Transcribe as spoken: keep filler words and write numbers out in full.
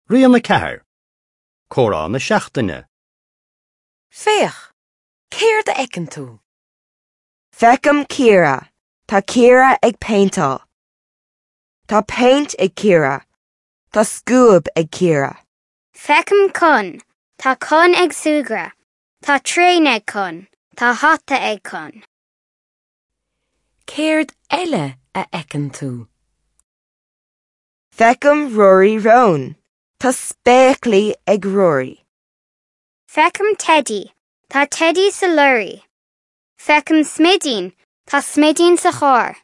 Rian a ceathair. Comhrá na seachtaine. Féach, céard a fheiceann tú? Feicim Ciara. Tá Ciara ag péinteáil. Tá péint ag Ciara. Tá scuab ag Ciara. Feicim Con. Tá Con ag súgradh. Tá traein ag Con. Tá hata ag Con. Céard eile a fheiceann tú? Feicim Rory Rón. Tá spéaclaí ag Rory. Feicim Teddy. Tá Teddy sa lorry. Feicim Smidín. Tá Smidín sa charr.